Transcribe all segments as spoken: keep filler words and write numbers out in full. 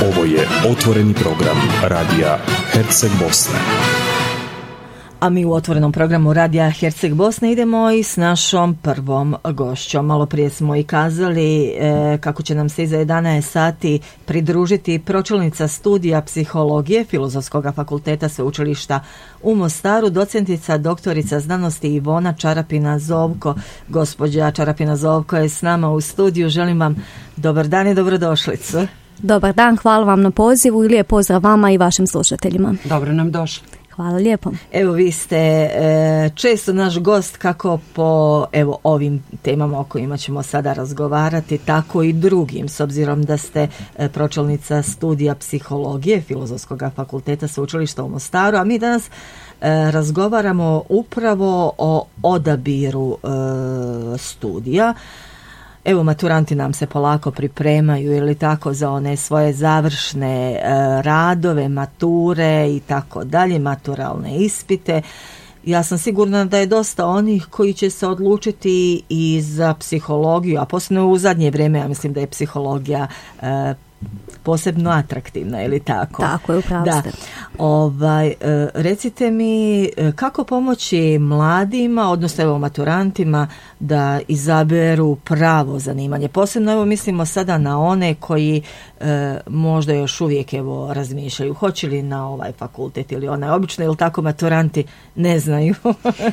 Ovo je otvoreni program Radija Herceg Bosne. A mi u otvorenom programu Radija Herceg Bosne idemo i s našom prvom gošćom. Malo prije smo i kazali e, kako će nam se iza jedanaest sati pridružiti pročelnica studija psihologije Filozofskog fakulteta Sveučilišta u Mostaru, docentica doktorica znanosti Ivona Čarapina-Zovko. Gospođa Čarapina-Zovko je s nama u studiju. Želim vam dobar dan i dobrodošlicu. Dobar dan, hvala vam na pozivu i lijep pozdrav vama i vašim slušateljima. Dobro nam došli. Hvala lijepo. Evo, vi ste e, često naš gost kako po evo ovim temama o kojima ćemo sada razgovarati, tako i drugim, s obzirom da ste e, pročelnica studija psihologije Filozofskog fakulteta Sveučilišta u Mostaru, a mi danas e, razgovaramo upravo o odabiru e, studija. Evo, maturanti nam se polako pripremaju ili tako za one svoje završne e, radove, mature i tako dalje, maturalne ispite. Ja sam sigurna da je dosta onih koji će se odlučiti i za psihologiju, a posebno u zadnje vrijeme ja mislim da je psihologija e, posebno atraktivna, ili tako? Tako je, upravo ste. Ovaj, recite mi kako pomoći mladima, odnosno evo maturantima, da izaberu pravo zanimanje. Posebno evo mislimo sada na one koji e, možda još uvijek evo razmišljaju hoće li na ovaj fakultet ili onaj, obično ili tako maturanti ne znaju.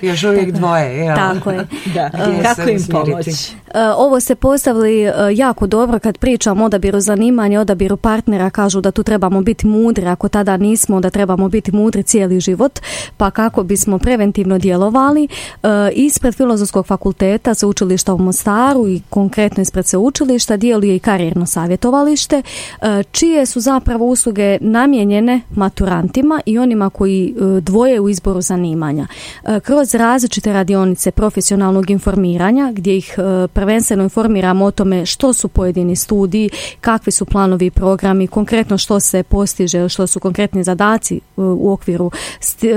Još uvijek dvoje. Ja. Tako je. Da. Kako im pomoći? Ovo se postavili jako dobro kad pričamo o odabiru zanimanja, odabiru partnera, kažu da tu trebamo biti mudri, ako tada nismo da trebamo biti mudri cijeli život, pa kako bismo preventivno djelovali, ispred Filozofskog fakulteta Sveučilišta u Mostaru i konkretno ispred sveučilišta djeluje i karijerno savjetovalište, čije su zapravo usluge namijenjene maturantima i onima koji dvoje u izboru zanimanja. Kroz različite radionice profesionalnog informiranja, gdje ih prvenstveno informiramo o tome što su pojedini studiji, kakvi su planovi i programi, konkretno što se postiže, što su konkretni zadaci u okviru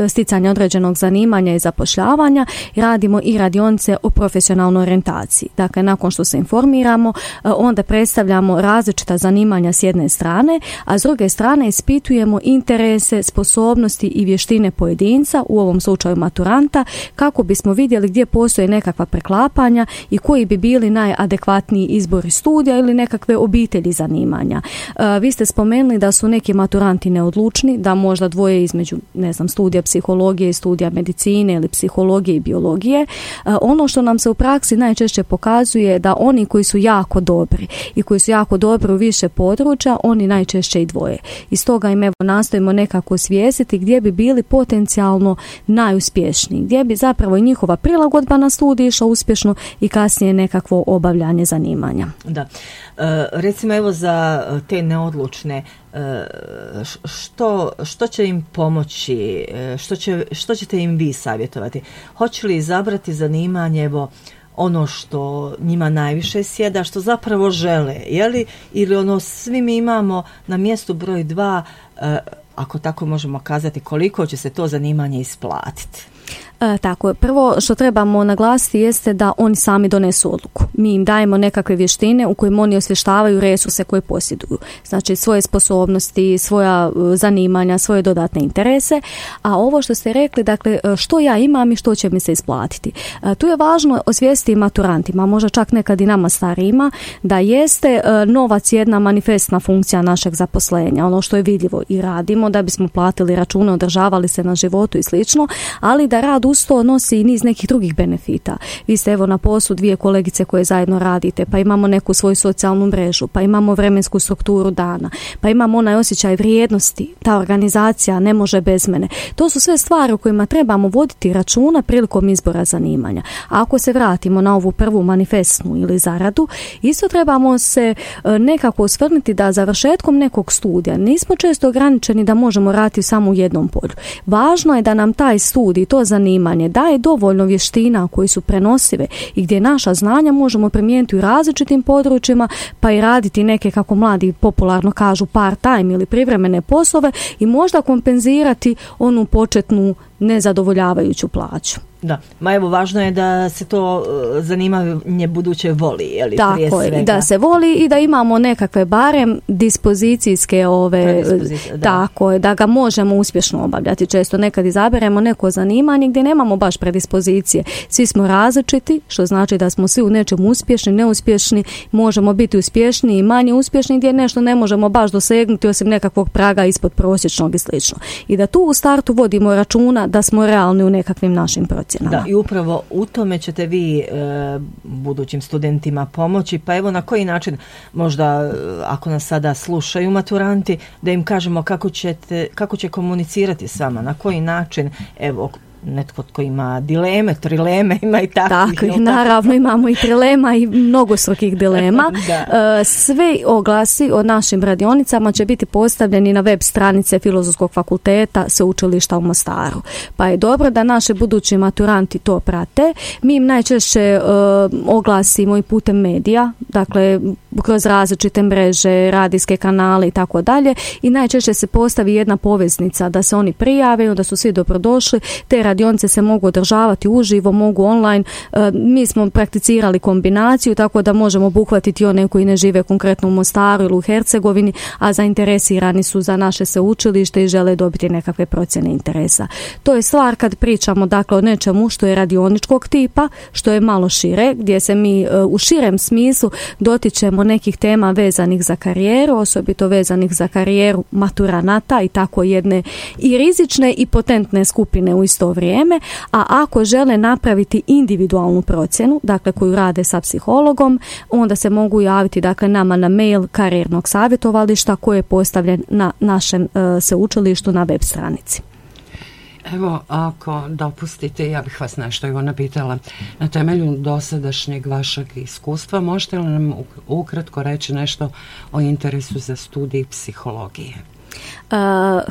sticanja određenog zanimanja i zapošljavanja. Radimo i radionice o profesionalnoj orijentaciji. Dakle, nakon što se informiramo, onda predstavljamo različita zanimanja s jedne strane, a s druge strane ispitujemo interese, sposobnosti i vještine pojedinca, u ovom slučaju maturanta, kako bismo vidjeli gdje postoje nekakva preklapanja i koji bi bili najadekvatniji izbori studija ili nekakve obitelji zanimanja. Vi ste spomenuli da su neki maturanti neodlučni, da možda dvoje između, ne znam, studija psihologije i studija medicine ili psihologije i biologije. Ono što nam se u praksi najčešće pokazuje da oni koji su jako dobri i koji su jako dobri u više područja, oni najčešće i dvoje. I stoga im evo nastojimo nekako osvijestiti gdje bi bili potencijalno najuspješniji, gdje bi zapravo i njihova prilagodba na studij išla uspješno i kasnije nekakvo obavljanje zanimanja. Da. E, recimo evo za te neodlučne, što, što će im pomoći, što, će, što ćete im vi savjetovati? Hoće li izabrati zanimanje evo ono što njima najviše sjeda, što zapravo žele, je li? Ili ono svi mi imamo na mjestu broj dva, ako tako možemo kazati, koliko će se to zanimanje isplatiti? E, tako je. Prvo što trebamo naglasiti jeste da oni sami donesu odluku. Mi im dajemo nekakve vještine u kojim oni osvještavaju resurse koje posjeduju. Znači svoje sposobnosti, svoja zanimanja, svoje dodatne interese. A ovo što ste rekli, dakle, što ja imam i što će mi se isplatiti. E, tu je važno osvijestiti maturantima, možda čak nekad i nama starijima, da jeste e, novac jedna manifestna funkcija našeg zaposlenja. Ono što je vidljivo i radimo da bismo platili račune, održavali se na životu i slično, ali da rad uz to nosi i niz nekih drugih benefita. Vi ste evo na poslu dvije kolegice koje zajedno radite, pa imamo neku svoju socijalnu mrežu, pa imamo vremensku strukturu dana, pa imamo onaj osjećaj vrijednosti, ta organizacija ne može bez mene. To su sve stvari o kojima trebamo voditi računa prilikom izbora zanimanja. A ako se vratimo na ovu prvu manifestnu ili zaradu, isto trebamo se nekako osvrnuti da završetkom nekog studija nismo često ograničeni da možemo raditi samo u jednom polju. Važno je da nam taj studij, to zanimanje daje dovoljno vještina koji su prenosive i gdje naša znanja možemo primijeniti u različitim područjima, pa i raditi neke, kako mladi popularno kažu, part time ili privremene poslove i možda kompenzirati onu početnu nezadovoljavajuću plaću. Da, ma evo važno je da se to zanimanje buduće voli, je li, prije tako svega. Je, da se voli i da imamo nekakve barem dispozicijske ove, da. Tako je, da ga možemo uspješno obavljati. Često nekad izaberemo neko zanimanje gdje nemamo baš predispozicije. Svi smo različiti, što znači da smo svi u nečem uspješni, neuspješni, možemo biti uspješni i manje uspješni gdje nešto ne možemo baš dosegnuti osim nekakvog praga ispod prosječnog i slično. I da tu u startu vodimo računa da smo realni u nekakvim našim procesima. Da, i upravo u tome ćete vi e, budućim studentima pomoći, pa evo na koji način možda ako nas sada slušaju maturanti, da im kažemo kako ćete, kako će komunicirati s vama, na koji način, evo netko tko ima dileme, trileme, ima i takvih. Tako, naravno imamo i trilema i mnogostrukih dilema. Sve oglasi o našim radionicama će biti postavljeni na web stranice Filozofskog fakulteta Sveučilišta u Mostaru. Pa je dobro da naši budući maturanti to prate. Mi im najčešće uh, oglasimo i putem medija, dakle kroz različite mreže, radijske kanale i tako dalje, i najčešće se postavi jedna poveznica da se oni prijave, da su svi dobrodošli. Te radionice se mogu održavati uživo, mogu online. E, mi smo prakticirali kombinaciju tako da možemo obuhvatiti one koji ne žive konkretno u Mostaru ili u Hercegovini, a zainteresirani su za naše sveučilište i žele dobiti nekakve procjene interesa. To je stvar kad pričamo dakle o nečemu što je radioničkog tipa, što je malo šire, gdje se mi e, u širem smislu dotičemo nekih tema vezanih za karijeru, osobito vezanih za karijeru maturanata i tako jedne i rizične i potentne skupine u isto vrijeme, a ako žele napraviti individualnu procjenu, dakle koju rade sa psihologom, onda se mogu javiti dakle nama na mail karijernog savjetovališta koji je postavljen na našem uh, sveučilištu na web stranici. Evo, ako dopustite, ja bih vas nešto evo napitala. Na temelju dosadašnjeg vašeg iskustva, možete li nam ukratko reći nešto o interesu za studij psihologije?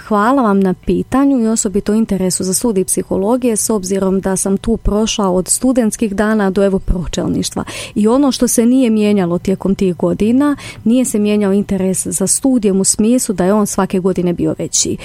Hvala vam na pitanju i osobito interesu za studij psihologije, s obzirom da sam tu prošla od studentskih dana do evo pročelništva. I ono što se nije mijenjalo tijekom tih godina, nije se mijenjao interes za studijem u smislu da je on svake godine bio veći.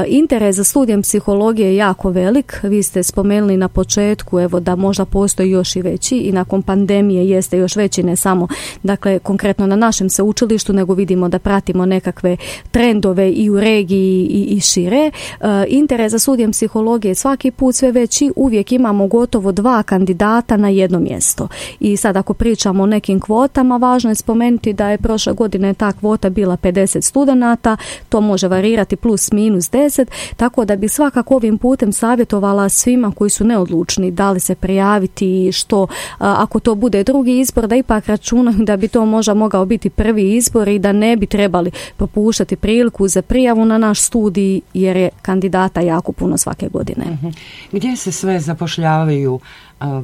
Interes za studijem psihologije je jako velik. Vi ste spomenuli na početku evo da možda postoji još i veći i nakon pandemije jeste još veći, ne samo dakle konkretno na našem sveučilištu, nego vidimo da pratimo nekakve trendove i u regiji i, i šire. E, interes za studijem psihologije svaki put sve veći, uvijek imamo gotovo dva kandidata na jedno mjesto. I sad ako pričamo o nekim kvotama, važno je spomenuti da je prošle godine ta kvota bila pedeset studenata, to može varirati plus minus deset, tako da bi svakako ovim putem savjetovala svima koji su neodlučni da li se prijaviti, što ako to bude drugi izbor, da ipak računaju da bi to možda mogao biti prvi izbor i da ne bi trebali propuštati priliku za prijavu na naš studij jer je kandidata jako puno svake godine. Uh-huh. Gdje se sve zapošljavaju uh,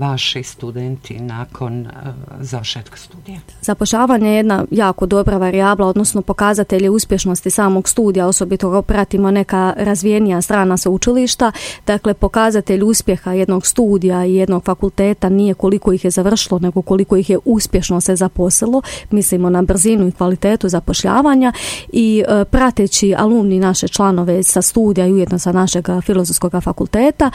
vaši studenti nakon uh, završetka studija? Zapošljavanje je jedna jako dobra varijabla, odnosno pokazatelje uspješnosti samog studija, osobito ga pratimo neka razvijenija strana sveučilišta. Dakle, pokazatelj uspjeha jednog studija i jednog fakulteta nije koliko ih je završilo, nego koliko ih je uspješno se zaposlilo. Mislimo na brzinu i kvalitetu zapošljavanja i uh, prateći alumni naše članove sa studija i ujedno sa našeg Filozofskog fakulteta,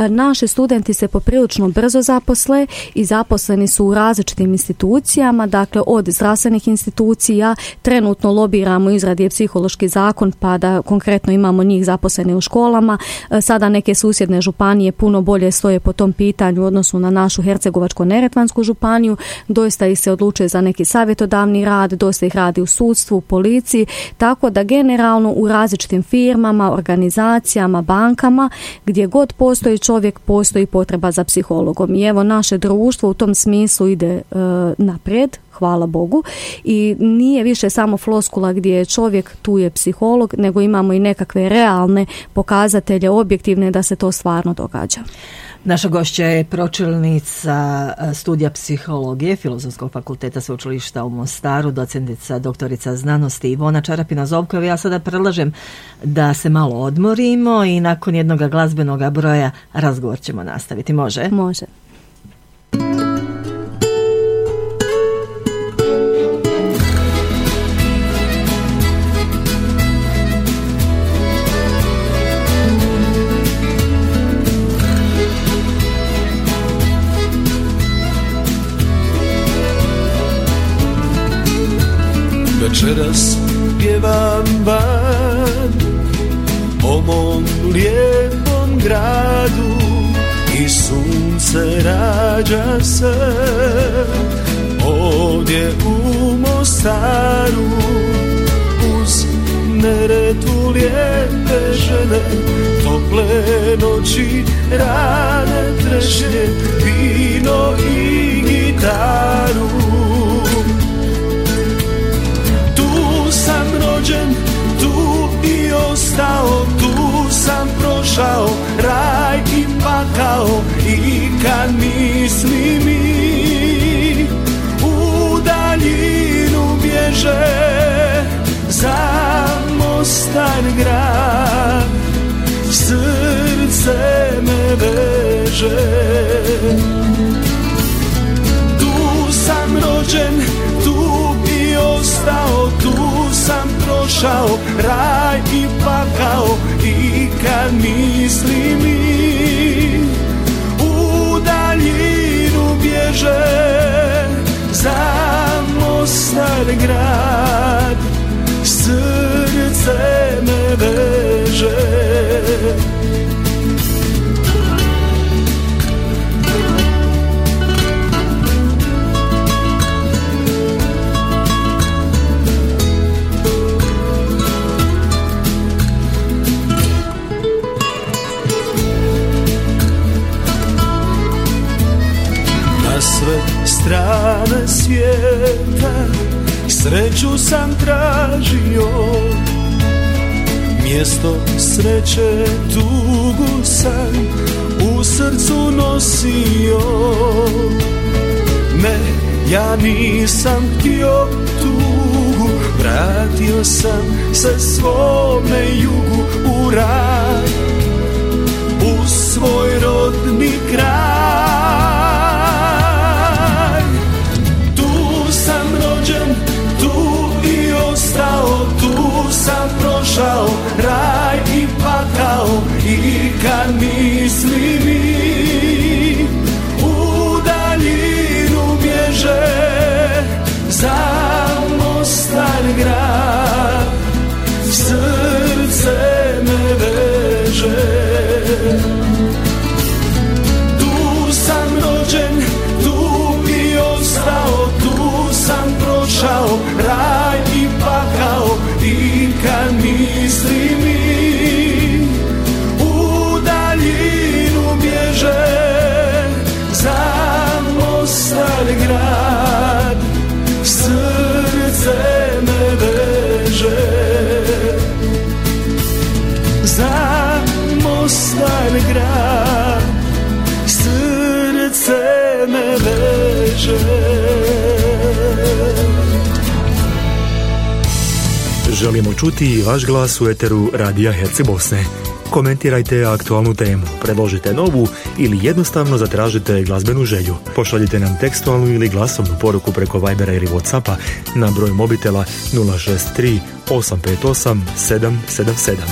naši studenti se poprilično brzo zaposle i zaposleni su u različitim institucijama, dakle od zdravstvenih institucija, trenutno lobiramo izradi je psihološki zakon pa da konkretno imamo njih zaposlene u školama, sada neke susjedne županije puno bolje stoje po tom pitanju u odnosu na našu Hercegovačko-neretvansku županiju, doista ih se odlučuje za neki savjetodavni rad, dosta ih radi u sudstvu, u policiji, tako da generalno u različitim firmama, organizacijama, bankama, gdje god postoji čovjek, postoji potreba za psihologom. I evo naše društvo u tom smislu ide e, naprijed, hvala Bogu, i nije više samo floskula gdje je čovjek, tu je psiholog, nego imamo i nekakve realne pokazatelje, objektivne da se to stvarno događa. Naša gošća je pročelnica studija psihologije Filozofskog fakulteta Sveučilišta u Mostaru, docentica doktorica znanosti Ivona Čarapina-Zovko. Ja sada predlažem da se malo odmorimo i nakon jednog glazbenog broja razgovor ćemo nastaviti. Može? Može. večeras pjevam van o mom lijepom gradu i sunce rađa se ovdje u Mostaru. Uz Neretvu lijepe žene, tople noći, rane trešnje, vino i gitaru. Tu sam rođen, tu i ostao, tu sam prošao raj i pakao. I kad misli mi u daljinu bježe za Mostar grad, srce me veže. Tu sam rođen, tu i ostao, tu sam prošao raj i pakao. I kad misli mi u daljinu bježe za Mostar grad, srce me veže. Na sve strane svijeta sreću sam tražio, mjesto sreće tugu sam u srcu nosio. Ne, ja nisam htio tugu, vratio sam se svome jugu u raj, u svoj rodni kraj. Tu sam rođen, tu i ostao, tu sam prošao raj i pakao. I kad misli mi u daljinu bježe za Mostar grad, srce me veže. Tu sam rođen, tu i ostao, tu sam prošao raj i pakao. I kad misli mi u daljinu bježe za Mostar grad, srce me veže. Za Mostar grad, srce me veže. Želimo čuti i vaš glas u eteru Radija Herceg Bosne. Komentirajte aktualnu temu, predložite novu ili jednostavno zatražite glazbenu želju. Pošaljite nam tekstualnu ili glasovnu poruku preko Vibera ili Whatsappa na broj mobitela nula šest tri osam pet osam sedam sedam sedam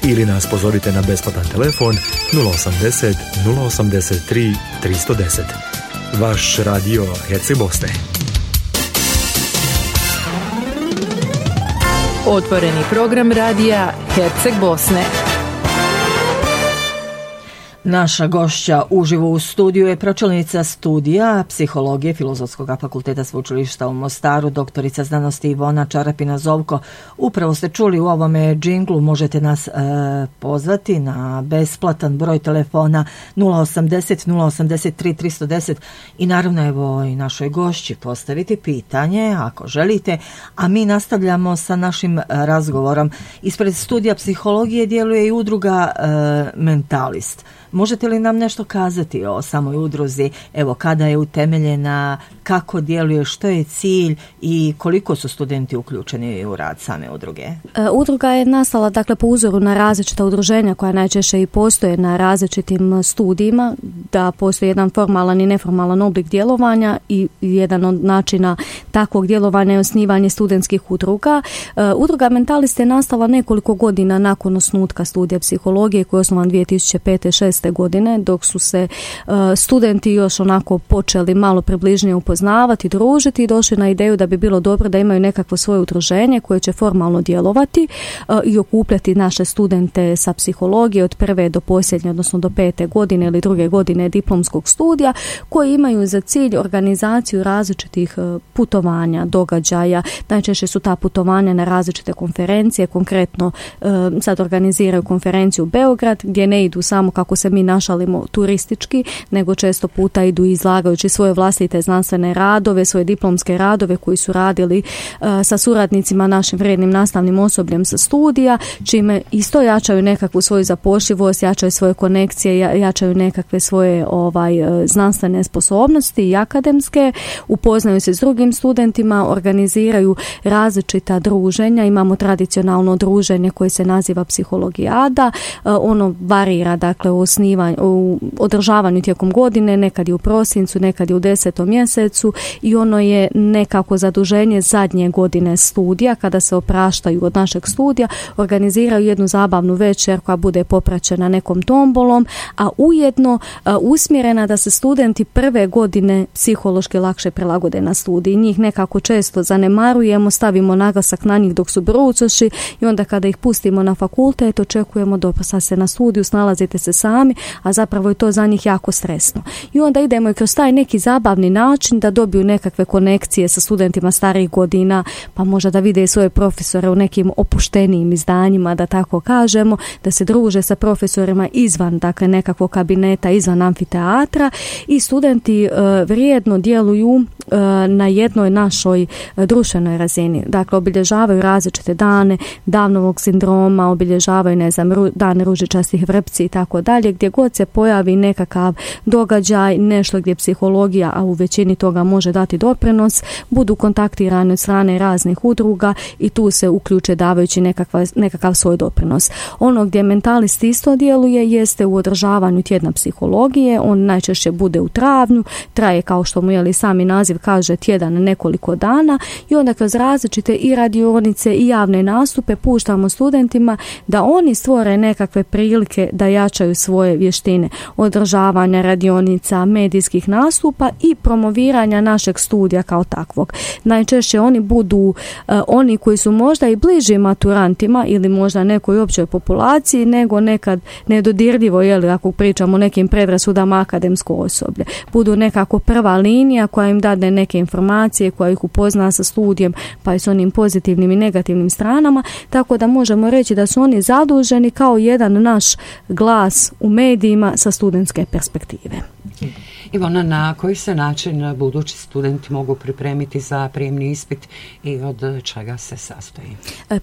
ili nas pozovite na besplatan telefon nula osamdeset nula osamdeset tri tristo deset. Vaš Radio Herceg Bosne. Otvoreni program radija Herceg Bosne. Naša gošća uživo u studiju je pročelnica studija psihologije Filozofskog fakulteta Sveučilišta u Mostaru, doktorica znanosti Ivona Čarapina-Zovko. Upravo ste čuli u ovome džinglu, možete nas e, pozvati na besplatan broj telefona nula osamdeset nula osamdeset tri tristo deset i naravno evo i našoj gošći postaviti pitanje ako želite, a mi nastavljamo sa našim razgovorom. Ispred studija psihologije djeluje i udruga e, Mentalist. Možete li nam nešto kazati o samoj udruzi, evo kada je utemeljena, kako djeluje, što je cilj i koliko su studenti uključeni u rad same udruge? E, udruga je nastala dakle po uzoru na različita udruženja koja najčešće i postoje na različitim studijima, da postoji jedan formalan i neformalan oblik djelovanja i jedan od načina takvog djelovanja je osnivanje studentskih udruga. E, udruga Mentalist je nastala nekoliko godina nakon osnutka studija psihologije koji je osnovan dvije tisuće pete. šeste šesnaeste godine, dok su se uh, studenti još onako počeli malo približnije upoznavati, družiti i došli na ideju da bi bilo dobro da imaju nekakvo svoje udruženje koje će formalno djelovati uh, i okupljati naše studente sa psihologije od prve do posljednje, odnosno do pete godine ili druge godine diplomskog studija, koji imaju za cilj organizaciju različitih uh, putovanja, događaja. Najčešće su ta putovanja na različite konferencije, konkretno uh, sad organiziraju konferenciju u Beograd, gdje ne idu samo, kako se mi našalimo, turistički, nego često puta idu izlagajući svoje vlastite znanstvene radove, svoje diplomske radove koji su radili uh, sa suradnicima, našim vrijednim nastavnim osobljem sa studija, čime isto jačaju nekakvu svoju zapošljivost, jačaju svoje konekcije, jačaju nekakve svoje ovaj znanstvene sposobnosti i akademske, upoznaju se s drugim studentima, organiziraju različita druženja. Imamo tradicionalno druženje koje se naziva psihologijada, ono varira dakle u osnivanju, u održavanju tijekom godine, nekad je u prosincu, nekad je u desetom mjesecu i ono je nekako zaduženje zadnje godine studija, kada se opraštaju od našeg studija, organiziraju jednu zabavnu večer koja bude popraćena nekom tombolom, a ujedno a, usmjerena da se studenti prve godine psihološki lakše prilagode na studij. Njih nekako često zanemarujemo, stavimo naglasak na njih dok su brucoši i onda kada ih pustimo na fakultet očekujemo dobro, sad se na studiju, snalazite se sami, a zapravo je to za njih jako stresno. I onda idemo i kroz taj neki zabavni način da dobiju nekakve konekcije sa studentima starijih godina, pa možda da vide svoje profesore u nekim opuštenijim izdanjima, da tako kažemo, da se druže sa profesorima izvan dakle nekakvog kabineta, izvan amfiteatra i studenti uh, vrijedno djeluju uh, na jednoj našoj uh, društvenoj razini. Dakle, obilježavaju različite dane Downovog sindroma, obilježavaju, ne znam, ru, dan ružičastih vrpci i tako dalje, gdje god se pojavi nekakav događaj, nešto gdje psihologija, a u većini toga može dati doprinos, budu kontaktirani od strane raznih udruga i tu se uključe davajući nekakav, nekakav svoj doprinos. Ono gdje mentalist isto djeluje jeste u održavanju tjedna psihologije. On najčešće bude u travnju, traje, kao što mu je sami naziv kaže, tjedan nekoliko dana i onda kroz različite i radionice i javne nastupe puštamo studentima da oni stvore nekakve prilike da jačaju svoje vještine održavanja radionica, medijskih nastupa i promoviranja našeg studija kao takvog. Najčešće oni budu uh, oni koji su možda i bliži maturantima ili možda nekoj općoj populaciji nego nekad nedodirljivo, jeli, ako pričamo o nekim predrasudama, akademsko osoblje. Budu nekako prva linija koja im dade neke informacije, koja ih upozna sa studijem, pa i s onim pozitivnim i negativnim stranama, tako da možemo reći da su oni zaduženi kao jedan naš glas u medijima sa studentske perspektive. Ivona, na koji se način budući studenti mogu pripremiti za prijemni ispit i od čega se sastoji?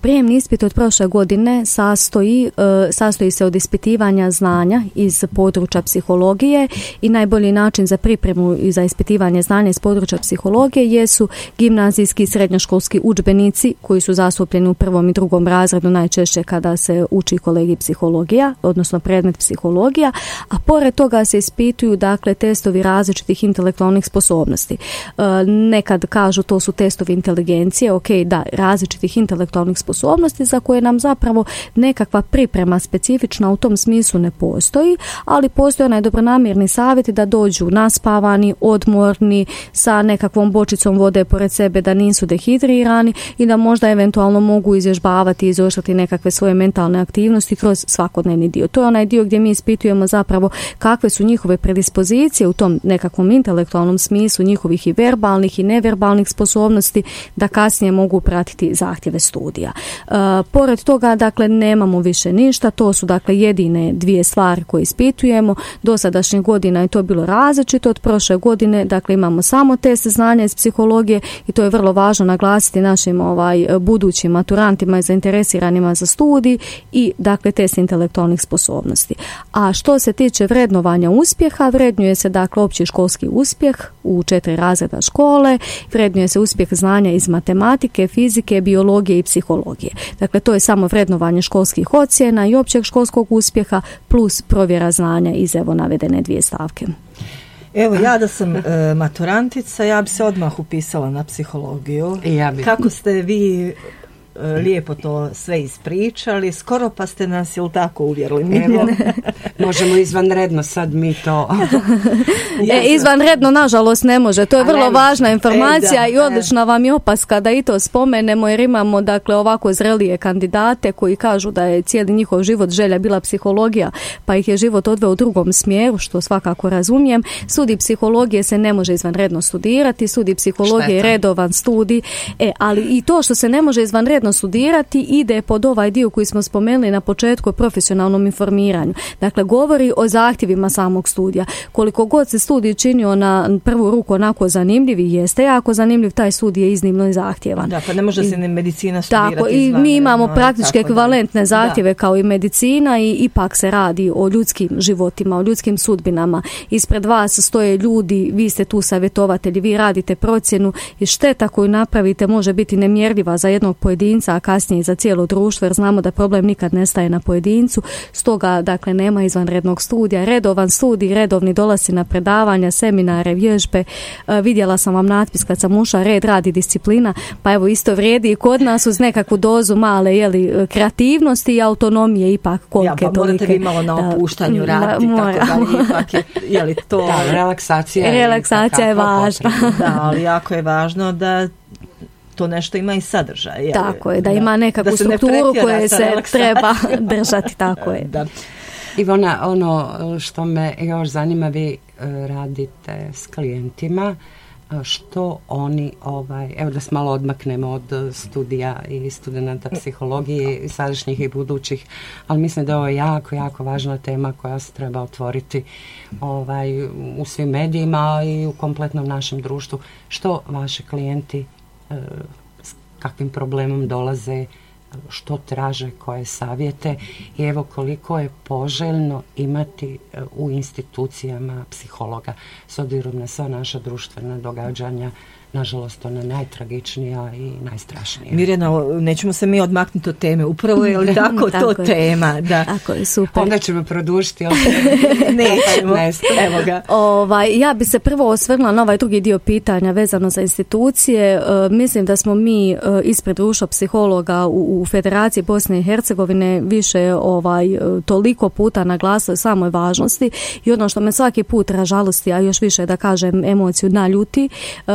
Prijemni ispit od prošle godine sastoji, sastoji se od ispitivanja znanja iz područja psihologije i najbolji način za pripremu i za ispitivanje znanja iz područja psihologije jesu gimnazijski i srednjoškolski udžbenici koji su zastupljeni u prvom i drugom razredu najčešće kada se uči kolegij psihologija, odnosno predmet psihologija, a pored toga se ispituju dakle testovi različitih intelektualnih sposobnosti. E, nekad kažu to su testovi inteligencije, ok, da, različitih intelektualnih sposobnosti za koje nam zapravo nekakva priprema specifična u tom smislu ne postoji, ali postoji onaj dobronamjerni savjet da dođu naspavani, odmorni, sa nekakvom bočicom vode pored sebe, da nisu dehidrirani i da možda eventualno mogu izvježbavati i izoštrati nekakve svoje mentalne aktivnosti kroz svakodnevni dio. To je onaj dio gdje mi ispitujemo zapravo kakve su njihove predispozicije u tom nekakvom intelektualnom smislu, njihovih i verbalnih i neverbalnih sposobnosti, da kasnije mogu pratiti zahtjeve studija. E, pored toga, dakle, nemamo više ništa, to su dakle jedine dvije stvari koje ispitujemo. Dosadašnjih godina je to bilo različito, od prošle godine, dakle, imamo samo test znanja iz psihologije i to je vrlo važno naglasiti našim ovaj budućim maturantima i zainteresiranima za studij i dakle test intelektualnih sposobnosti. A što se tiče vrednovanja uspjeha, vrednuje se dakle opći školski uspjeh u četiri razreda škole, vrednuje se uspjeh znanja iz matematike, fizike, biologije i psihologije. Dakle, to je samo vrednovanje školskih ocjena i općeg školskog uspjeha plus provjera znanja iz evo navedene dvije stavke. Evo, ja da sam e, maturantica, ja bi se odmah upisala na psihologiju. Ja bi. Kako ste vi lijepo to sve ispričali, skoro pa ste nas, jel tako, uvjerili? Evo, možemo izvanredno sad mi to... e, izvanredno, nažalost, ne može. To je vrlo važna informacija e, da, i odlična vam je opaska da i to spomenemo, jer imamo, dakle, ovako zrelije kandidate koji kažu da je cijeli njihov život želja bila psihologija, pa ih je život odveo u drugom smjeru, što svakako razumijem. Studij psihologije se ne može izvanredno studirati, studij psihologije je redovan studij, e, ali i to što se ne može izvanredno studirati ide pod ovaj dio koji smo spomenuli na početku o profesionalnom informiranju. Dakle, govori o zahtjevima samog studija. Koliko god se studij činio na prvu ruku onako zanimljiv i jeste jako zanimljiv, taj studij je iznimno i zahtjevan. Da, pa ne može se ne medicina studirati tako, i mi imamo praktički ekvivalentne zahtjeve da. Kao i medicina i ipak se radi o ljudskim životima, o ljudskim sudbinama. Ispred vas stoje ljudi, vi ste tu savjetovatelji, vi radite procjenu i šteta koju napravite može biti nemjerljiva za jednog pojedinca, a kasnije i za cijelo društvo, jer znamo da problem nikad ne staje na pojedincu. Stoga, dakle, nema izvanrednog studija. Redovan studij, redovni dolasci na predavanja, seminare, vježbe. E, vidjela sam vam natpis kad sam ušla, red, rad i disciplina, pa evo isto vrijedi i kod nas uz nekakvu dozu male, jeli, kreativnosti i autonomije ipak kolike ja, pa morate vi malo na opuštanju raditi, tako da ipak je, jeli, to... Da, relaksacija, relaksacija je važna. Da, ali jako je važno da to nešto ima i sadržaj. Je, tako je, da, da ima nekakvu strukturu koje se treba držati, tako je. Da. Ivona, ono što me još zanima, vi radite s klijentima, što oni, ovaj, evo da se malo odmaknemo od studija i studenta psihologije, sadašnjih i budućih, ali mislim da je ovo jako, jako važna tema koja se treba otvoriti ovaj, u svim medijima i u kompletnom našem društvu. Što vaši klijenti, s kakvim problemom dolaze, što traže, koje savjete i evo koliko je poželjno imati u institucijama psihologa s obzirom na sva naša društvena događanja. Nažalost, ona najtragičnija i najstrašnija. Mirjana, nećemo se mi odmaknuti od teme. Upravo je li tako, tako to je. Tema? Da. Tako je, super. Onda ćemo produžiti. Nećemo. Evo ga. Ovaj, ja bi se prvo osvrnula na ovaj drugi dio pitanja vezano za institucije. E, mislim da smo mi e, ispred društva psihologa u, u Federaciji Bosne i Hercegovine više ovaj, toliko puta naglasili samoj važnosti i ono što me svaki put ražalosti, a još više da kažem emociju naljuti, e,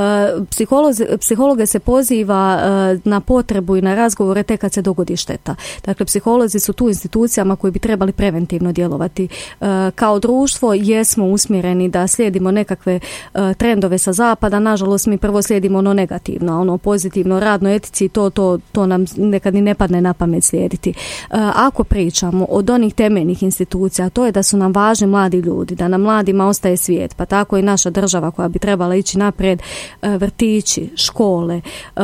Psiholozi, psihologe se poziva uh, na potrebu i na razgovore tek kad se dogodi šteta. Dakle, psiholozi su tu institucijama koji bi trebali preventivno djelovati. Uh, kao društvo jesmo usmjereni da slijedimo nekakve uh, trendove sa zapada, nažalost mi prvo slijedimo ono negativno, ono pozitivno, radno etici, to, to, to nam nekad ni ne padne na pamet slijediti. Uh, ako pričamo od onih temeljnih institucija, to je da su nam važni mladi ljudi, da nam mladima ostaje svijet, pa tako i naša država koja bi trebala ići naprijed, uh, vrtići, škole, uh,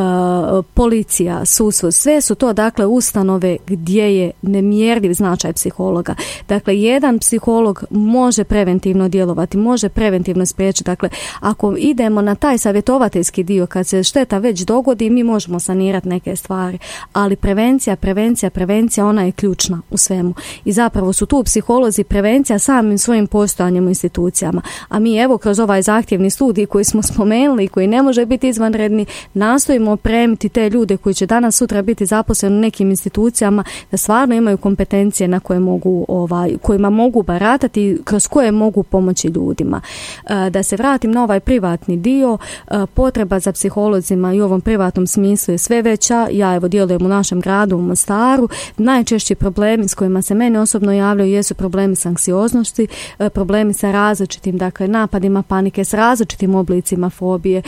policija, sudstvo, sve su to dakle ustanove gdje je nemjerljiv značaj psihologa. Dakle, jedan psiholog može preventivno djelovati, može preventivno spriječiti. Dakle, ako idemo na taj savjetovateljski dio, kad se šteta već dogodi, mi možemo sanirati neke stvari, ali prevencija, prevencija, prevencija, ona je ključna u svemu. I zapravo su tu psiholozi prevencija samim svojim postojanjem u institucijama. A mi evo kroz ovaj zahtjevni studij koji smo spomenuli, koji ne može biti izvanredni, nastojimo opremiti te ljude koji će danas sutra biti zaposleni u nekim institucijama da stvarno imaju kompetencije na koje mogu, ovaj, kojima mogu baratati, kroz koje mogu pomoći ljudima. Da se vratim na ovaj privatni dio, potreba za psiholozima i u ovom privatnom smislu je sve veća. Ja evo djelujem u našem gradu u Mostaru. Najčešći problemi s kojima se meni osobno javljaju jesu problemi s anksioznosti, problemi sa različitim dakle napadima panike, s različitim oblicima fobije,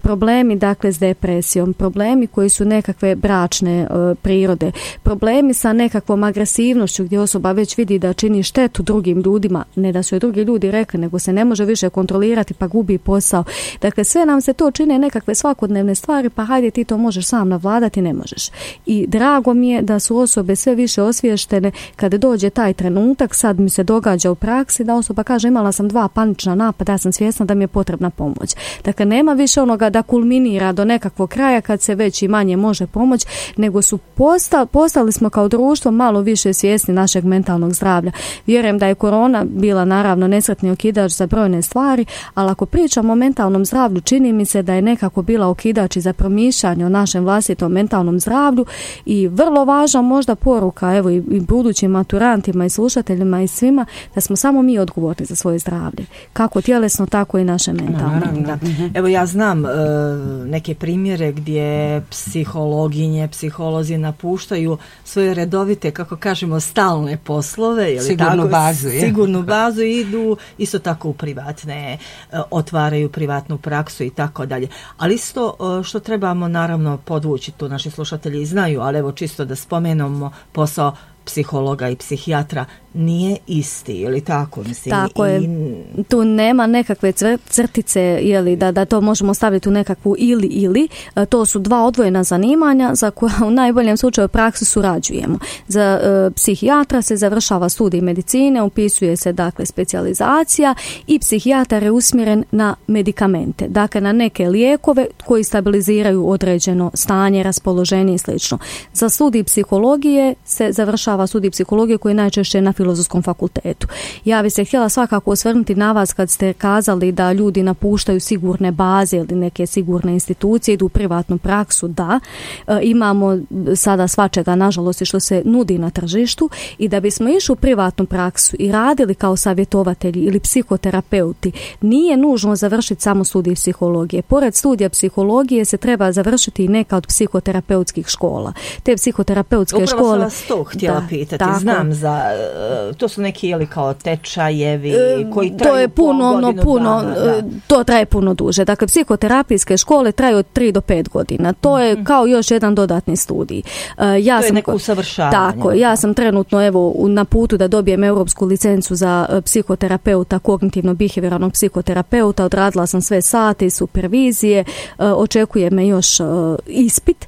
problemi dakle s depresijom, problemi koji su nekakve bračne e, prirode, problemi sa nekakvom agresivnošću gdje osoba već vidi da čini štetu drugim ljudima, ne da su je drugi ljudi rekli, nego se ne može više kontrolirati pa gubi posao. Dakle, sve nam se to čine nekakve svakodnevne stvari, pa hajde ti to možeš sam navladati, ne možeš. I drago mi je da su osobe sve više osviještene kada dođe taj trenutak, sad mi se događa u praksi da osoba kaže imala sam dva panična napada, ja sam svjesna da mi je potrebna pomoć. Dakle, nema više onog toga da kulminira do nekakvog kraja kad se već i manje može pomoći, nego su posta, postali smo kao društvo malo više svjesni našeg mentalnog zdravlja. Vjerujem da je korona bila naravno nesretni okidač za brojne stvari, ali ako pričamo o mentalnom zdravlju, čini mi se da je nekako bila okidač i za promišljanje o našem vlastitom mentalnom zdravlju i vrlo važna možda poruka, evo i, i budućim maturantima i slušateljima i svima, da smo samo mi odgovorni za svoje zdravlje. Kako tjelesno, tako i naše mentalno. Da. Evo ja znam e, neke primjere gdje psihologinje, psiholozi napuštaju svoje redovite, kako kažemo, stalne poslove, ili sigurnu tako, bazu, je. sigurnu bazu i idu isto tako u privatne, e, otvaraju privatnu praksu i tako dalje. Ali isto e, što trebamo naravno podvući, tu naši slušatelji znaju, ali evo čisto da spomenemo posao psihologa i psihijatra nije isti, ili tako? Mislim, tako i... je. Tu nema nekakve crtice, jeli, da, da to možemo staviti u nekakvu ili ili. To su dva odvojena zanimanja za koja u najboljem slučaju praksi surađujemo. Za e, psihijatra se završava studij medicine, upisuje se dakle specijalizacija i psihijatar je usmjeren na medikamente, dakle na neke lijekove koji stabiliziraju određeno stanje, raspoloženje i slično. Za studij psihologije se završava studij psihologije koji je najčešće na Filozofskom fakultetu. Ja bih se htjela svakako osvrnuti na vas kad ste kazali da ljudi napuštaju sigurne baze ili neke sigurne institucije, idu u privatnu praksu. Da, e, imamo sada svačega, nažalost, što se nudi na tržištu i da bismo išli u privatnu praksu i radili kao savjetovatelji ili psihoterapeuti, nije nužno završiti samo studij psihologije. Pored studija psihologije se treba završiti i neka od psihoterapeutskih škola. Te psihoterapeutske Upravo škole... Upravo sam vas to htjela da, pitati. Tako. Znam za... To su neki, jeli, kao tečajevi koji traju to je puno, godinu no, puno, dana, da. To traje puno duže. Dakle, psihoterapijske škole traju od tri do pet godina. To je mm-hmm. kao još jedan dodatni studij. Ja to sam, je neko usavršavanje. Tako, ja sam trenutno evo na putu da dobijem europsku licencu za psihoterapeuta, kognitivno-behavioralnog psihoterapeuta. Odradila sam sve sate i supervizije. Očekuje me još ispit.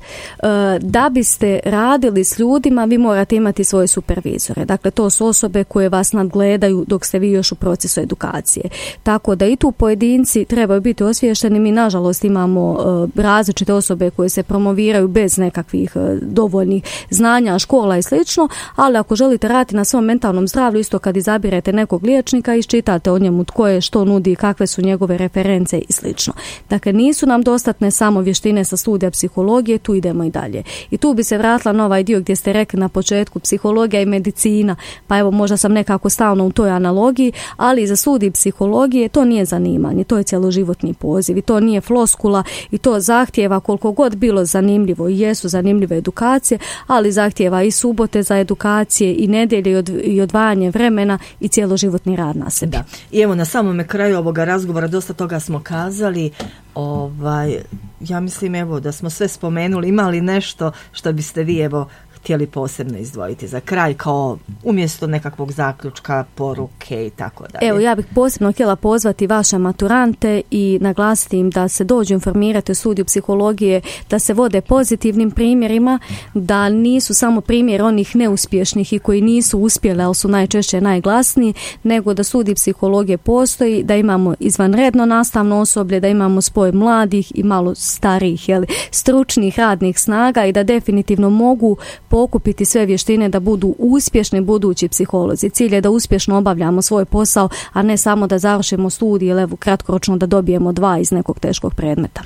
Da biste radili s ljudima, vi morate imati svoje supervizore. Dakle, to su osobe koje vas nadgledaju dok ste vi još u procesu edukacije. Tako da i tu pojedinci trebaju biti osviješteni. Mi nažalost imamo uh, različite osobe koje se promoviraju bez nekakvih uh, dovoljnih znanja, škola i slično, ali ako želite raditi na svom mentalnom zdravlju, isto kad izabirete nekog liječnika, iščitate o njemu tko je, što nudi, kakve su njegove reference i slično. Dakle, nisu nam dostatne samo vještine sa studija psihologije, tu idemo i dalje. I tu bi se vratila na ovaj dio gdje ste rekli na početku psihologija i medicina, pa evo možda sam nekako stalno u toj analogiji, ali za studij psihologije to nije zanimanje, to je cjeloživotni poziv i to nije floskula i to zahtijeva koliko god bilo zanimljivo i jesu zanimljive edukacije, ali zahtijeva i subote za edukacije i nedjelje i, od, i odvajanje vremena i cjeloživotni rad na sebi. Da. I evo na samome kraju ovoga razgovora dosta toga smo kazali. Ovaj, ja mislim evo da smo sve spomenuli. Ima li nešto što biste vi evo htjeli posebno izdvojiti za kraj kao umjesto nekakvog zaključka, poruke i tako dalje? Evo, ja bih posebno htjela pozvati vaše maturante i naglasiti im da se dođu informirati o studiju psihologije, da se vode pozitivnim primjerima, da nisu samo primjer onih neuspješnih i koji nisu uspjeli, ali su najčešće najglasniji, nego da studij psihologije postoji, da imamo izvanredno nastavno osoblje, da imamo spoj mladih i malo starijih, jeli, stručnih radnih snaga i da definitivno mogu pokupiti sve vještine da budu uspješni budući psiholozi. Cilj je da uspješno obavljamo svoj posao, a ne samo da završimo studij ili evo kratkoročno da dobijemo dva iz nekog teškog predmeta.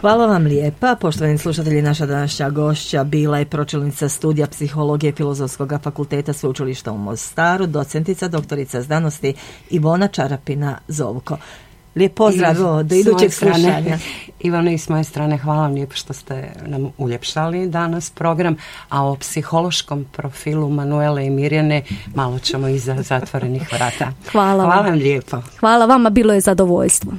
Hvala vam lijepa. Poštovani slušatelji, naša današnja gošća bila je pročelnica studija psihologije Filozofskog fakulteta Sveučilišta u Mostaru, docentica, doktorica znanosti Ivona Čarapina-Zovko. Lijep pozdrav I do idućeg slušanja. Ivana, i s moje strane hvala vam lijepo što ste nam uljepšali danas program, a o psihološkom profilu Manuele i Mirjane malo ćemo iza zatvorenih vrata. Hvala, hvala vam lijepo. Hvala vama, bilo je zadovoljstvo.